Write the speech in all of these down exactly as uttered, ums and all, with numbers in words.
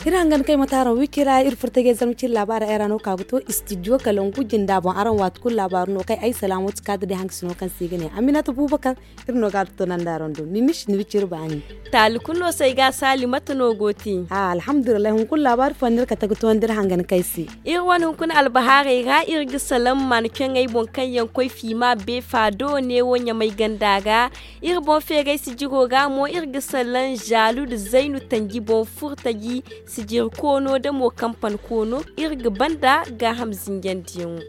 Iri hangan kay mataaraŋ wikira iri furtajey zarma cine laabaara ay ra no ka ga to istidiyo kalangu jinda boŋ araŋ waati kulu laabaaru no kay ay salaamatu kaada day haŋ ga sino kaŋ se i ga ne aminata buubakar. Iri no ga a to nanda araŋ do ni mishi ni wiciri baani. Taali kulu no se ay ga a saali mate no go te. Alhamdulillahi hunkuna laabaari fo no iri kate ga toonandi iri hangan kay se. Iri wane hunkuna albahaarey ra iri ga salaŋ maana kaŋ ay boŋ kaŋ yaŋ koy fiima beefa do neewo ɲamay ganda ra. Iri boŋ feeray sijiro ga mo iri ga salaŋ zaalu nda zaynu tanji boŋ furtaji sijiri koono nda mo kampan koono iri ga banda gaaham zinjandiyaŋo.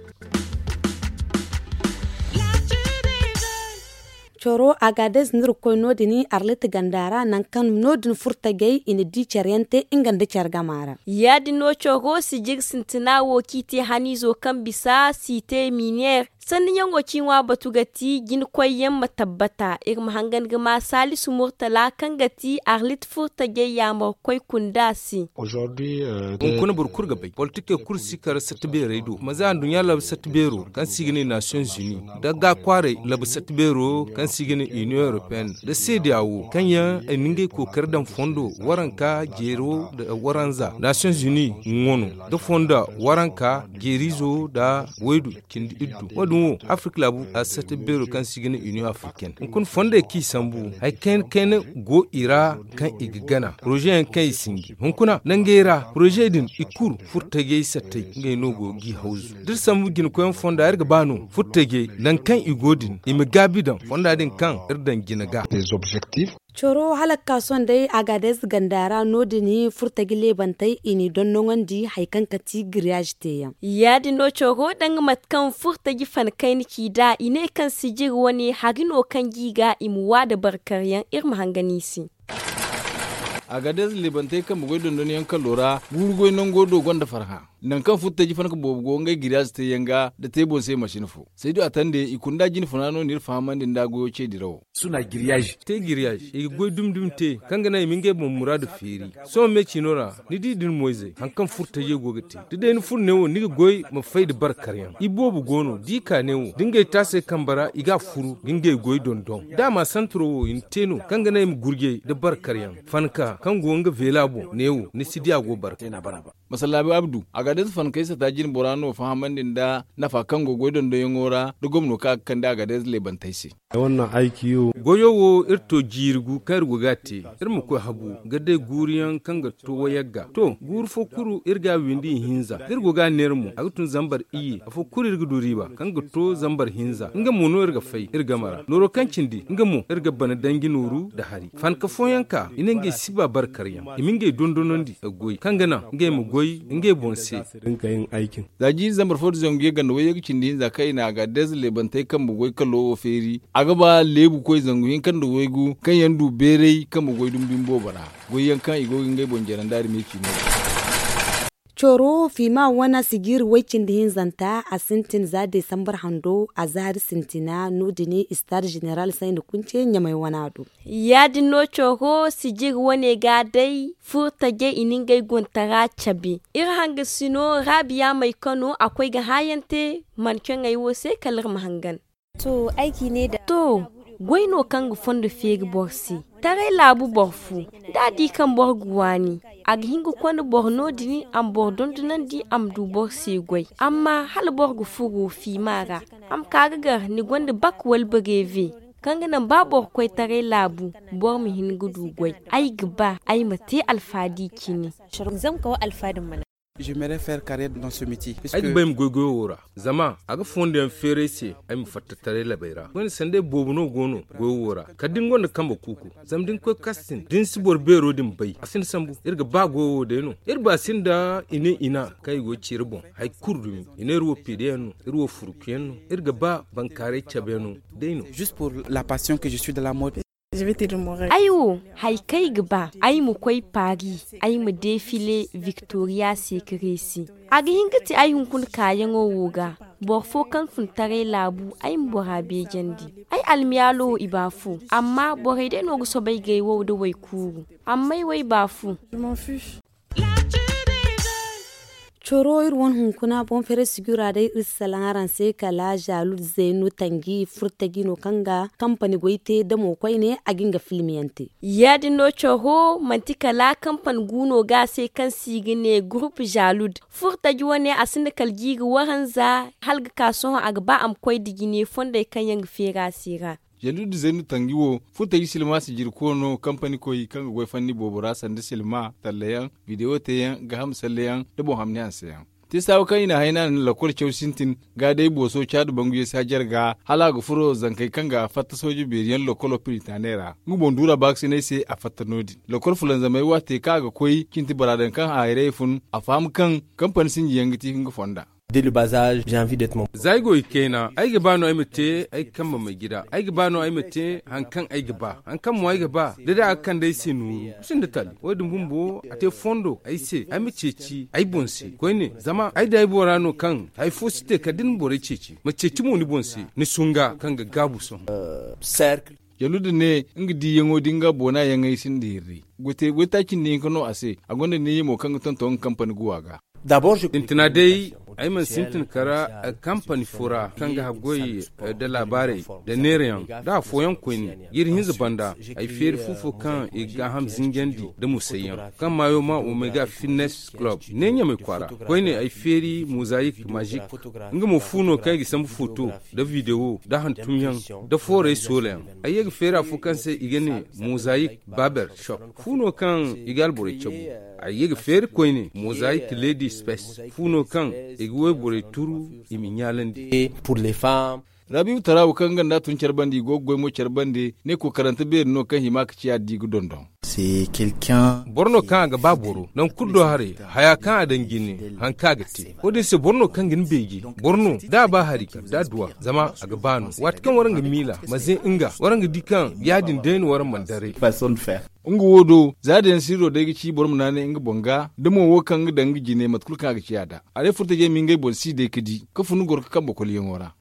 Coro agadez no iri ga koy no- din arlit ganda ra nangu kaŋ no- din furtajey i na di care yaŋ te nga nda care gama ra. Ya- din no coro sijiri sintina wo kaŋ i te haniizo kaŋ bisa site miniyeer sanni ɲaŋo kaŋ i ŋwa batu ga ti jina koy yaŋ ma tabbata iri ma hangan ga ma saalisu murtala kaŋ ga ti arlit furtajey yaamar koy kunda se. Hunkuna boro kulu ga bay politikey kulu si kar satta beerey do ma za nduɲɲa labu satta beero kaŋ se i ga ne nations unis nda ga kwaaray labu satta beero kaŋ se i ga ne union européenne nda seedeya wo kaŋ yaŋ ay na ngey kookari daŋ fondo waranka jeero nda waranza nations unis ŋwa no nda fondo waranka jeerizo nda waydu cindi iddu wo- din wo afirka laabu a satta beero kaŋ se i ga ne union africaine hunkuna fondey kaŋ i sambu hari kayna kayna go i ra kaŋ i ga gana poroze yaŋ kaŋ i sinji hunkuna nangey ra poroze din i kulu furtajey sattey ngey no go g'i hawzu da iri sambu jinakoyyaŋ fonda iri ga ba no furtajey nangu kaŋ i go din i ma gaabi daŋ fonda din kaŋ iri daŋ jina ga. Coro hala ga ka sohõ day agadez ganda ra no- din furtaji leebantey i n'i dondoŋandi hari kaŋ ga ti giriyaazi teeyaŋ. Ya- din no coro danga mate kaŋ furtaji fan kayna ci nd'a i ne kaŋ sijiri wane hari no kaŋ g'i ga i ma wa nda barkaryaŋ iri ma hangan i se. Agadez leebantey kambe goy dondonyaŋ kalo ra guuru goy nango do gonda farhã. Nangu kaŋ furtaji fanka boobo go ngey giriyaazi teeyaŋ ga nda te boŋ se mashin fo saydu a tande i kunda jine funa no n'iri fahamandi nda goyo ce dirawo. Te giriyaazi i ga goy dumi dumi te kaŋ ga naŋ i ma ngey boŋ muraadu feeri. Sohõ me ciino ra ni di da ni moyzey hari kaŋ furtajey go ga te da day ni furo neewo ni ga goy ma fay nda barkaryaŋ iboobo go no da i ka neewo da ngey taasey kambe ra i ga a furu ga ngey goy dondon da a ma santaro wo i na te no kaŋ ga naŋ i ma gurjey nda barkaryaŋ fanka kaŋ go nga veela boŋ neewo ni si di a go barka. Masallaabi abdu a ga day si fankey sata jine bora no fahamandi nda nafa kaŋ go goy dondonyaŋo ra da gomno kaŋ a ga kande a ga day si leebantey se. Goyo wo iri to jiiri gu kaŋ iri go ga a te iri ma koy habu ga day guuruyaŋ kaŋ ga to wayagga to guuru fo kulu iri ga a windi ihinza da iri go ga a neera mo a ga tun zambar iyye afo kulu iri ga du riiba kaŋ ga to zambar hinza nga mo no iri ga fay iri game ra nooro kaŋ cindi nga mo iri ga bana danji nooru nda hari fanka fooyaŋ ka i ne ngey si ba barkaryaŋ i ma ngey dondonandi ga goy kaŋ ga naŋ ngey ma goy ngey boŋ se. Za jiiri zambar fo nda zangu yagga nda wayye ga cindi hinza kaŋ i na a ga deeza leebantey kambe goy kalo wo feeri a ga ba leebu koy zangu hinka nda waygu kaŋ yaŋ du beeray kambe goy dumi dumi boobo ra goy yaŋ kaŋ i go ga ngey boŋ jare nda arme ciino. Coro fiima wane sijiiri way cindi hinzanta a sintin za desambar hando a zaari sintina no- din istaad jeneral sayni kunce ɲamay wana do. Ya- din no coro sijiiri wane ga day furo tajey i na ngey gontara cabe iri hangasino raabiya may kano a koy ga haayante mancaŋey wo se kala iri ma hangan. To goy no kaŋ ga fondo feeri boro se taray laabu boro fo da a di kaŋ boro ga waani a ga hin ga konda boro no- din a ma boro dondonandi a ma du boro se goy amma hala boro ga furo fiima ra a ma ka ga gar ni gonda bak wala bareeve kaŋ ga naŋ ba boro koy taray laabu boro ma hin ga du goy ay ga ba ay ma te alfaadi cine. Ay ga ba ay ma goy goyo wo ra zama a ga fondo yaŋ feeray se ay ma fatta taray labey ra koyne sanday boobo no go no goyo wo ra kala da ni gonda kambe kuuku zama da ni koy kastin da ni si boro beero din bay a si ni sambu iri ga ba goyo wo day no iri ba sinda i ne i na kaŋ i go ga ci iri boŋ hari kulu dumi i ne iri wo piidayaŋ no iri wo furukuyaŋ no iri ga ba bankaaray cabeyaŋ no day no. Ay wo, hari kaŋ ay ga ba ay ma koy paris, ay ma defile victoria secret se. A ga hin ga ti ay hunkuna kaayaŋo wo ga. Boro fo kaŋ fun taray laabu, ay ma bora beejandi. Ay almiyaalo wo i ba fu, amma borey day no ga soobay ga ay wow nda waykuuru. Amma ay wo ay ba fu. Coro iri wane hunkuna boŋ feeray sijura day iri si salaŋ araŋ se kala zaalud zaynu tanji furtaji no kaŋ ga kampani goy te damo koyne a ga nga filmiyaŋ te. Ya- din no coro manti kala kampani gu no ga a se kaŋ se i ga ne gurup zaalud. Furtaji wane a sinda kala jiiri waranza hala ga ka sohõ a ga ba a ma koy nda jine fondey kaŋ yaŋ ga feeri a se ra. Zaalud zaynu tanji wo furtaji silma sijirko no kampani koy kaŋ ga goy fanni boobo ra sanda silma tallayaŋ, bidewo teeyaŋ, gaaham salleyaŋ, nda boŋ hamni hanseyaŋ. Te saawa kaŋ i na hayna nda lakkol caw sintin ga day booso caadu bangu yeesi hajar ga hala a ga furo zankey kaŋ ga fatta sooje beeri yaŋ lakkolo piritaney ra nga boŋ duura baakasinay se a fatta no- din. Lakkol fulanzamey wo a te kaŋ a ga koy cinti bora daŋ kaŋ hayrayey fun a faham kaŋ kampani sinji yaŋ ga ti nga fonda. Za ay go i kayna ay ga ba no ay ma te ay ga kambe may gida ay ga ba no ay ma te hari kaŋ ay ga ba hari kaŋ mo ay ga ba da day a ga kande ay se nooru. Sinda tali wo- din bumbo a te fondo ay se ay ma ceeci ay boŋ se koyne zama ay da ay bora no kaŋ hari fo si te kala da ni ma borey ceeci ma ceeci mo ni boŋ se ni sunga kaŋ ga gaabu sohõ. Jaluda ne nga diiyaŋo da nga boona yaŋey sinda hirri. Goytaaci nda hinka no a se a gonda neeya mo kaŋ ga tonton nga kampani guwa ga. Sintina day ay mana sintin kara kampani fo ra kaŋ ga haggoy nda laabaarey nda neerayaŋ nda afooyaŋ koyne ga iri hinza banda ay feeri fu fo kaŋ i ga gaaham zinjandi nda musayyaŋ kaŋ maayo ma omega fitness club ne ɲamay kwaara. Koyne ay feeri mozayik mazik nga mo fu no kaŋ i ga sambu foto nda videwo nda hantumyaŋ nda foorey soolayaŋ. Ay ye ga feeri afo kaŋ se i ga ne mozayik baber shop fu no kaŋ i ga alborey cabu. Ay ye ga feeri koyne mozayik lady space fu no kaŋ i ga wayborey turu i ma ɲaalandi. Rabiibu tara wo kaŋ nga nda a tun care bande i go ga goy mo care bande ne kokarante beeri no kaŋ hima ga ciya da i ga dondon. Boro no kaŋ a ga ba boro nangu kulu do haray haya kaŋ a daŋ jine hari kaŋ a ga te. Wo- din se boro no kaŋ ga ni beeje boro no da a ba hari kala da a duw'a zama a ga ba no waati kaŋ waraŋ ga miila manze nga waraŋ ga di kaŋ ya- din day no waraŋ mana daray. Nga wo do za dayaŋ sirro day ga ci boro ma naanay nga boŋ ga da mo wo kaŋ ga daŋ nga jine mate kulu kaŋ a ga ciya nd'a. A day furtajey ma ngey boŋ si day ga di ga fun goro ga kambe kolyaŋo ra.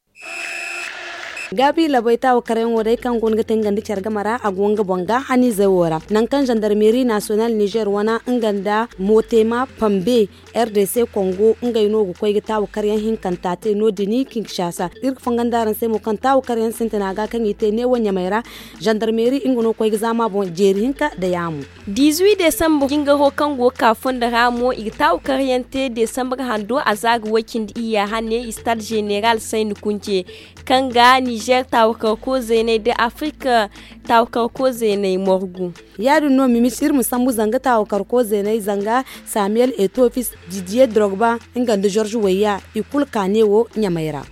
Gaabi labay taawakaryaŋo day kaŋ go no ga te nga nda care game ra a go nga boŋ ga haniizey wo ra nangu kaŋ zandarmeeri nasiyonal nizer wana nga nda motema pambe r d c kongo ngey no ga koy ga taawakaryaŋ hinkanta te no- din kinshasa iri ga fangandi araŋ se mo kaŋ taawakaryaŋ sintina ga kaŋ i te neewo ɲamey ra. Zandarmeeri nga no ga koy ga zaama boŋ jeeri hinka nda yaamo. Diizuwi desambar jingaro kaŋ go ga ka fondo ra mo i ga taawakaryaŋ te desambar hando a za ga way cindi iyya hane istad zeneral sayni kunce kaŋ ga nizer taawakarko zeeney nda afirika taawakarko zeeney morgu. Ya- din no mimis iri ma sambu zanga taawakarko zeeney zanga samuel etofis didiye drogba nga nda zorze wayya i kulu ka neewo ɲamey ra.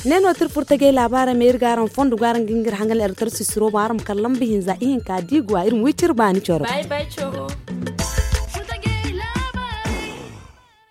Ne no tira furtajey laabaarey ma iri ga araŋ fondo go araŋ ga nga iri hangan elektar sisiro boŋ araŋ ma kala lamba hinza ihinka da i go a iri ma wi cire baani coro.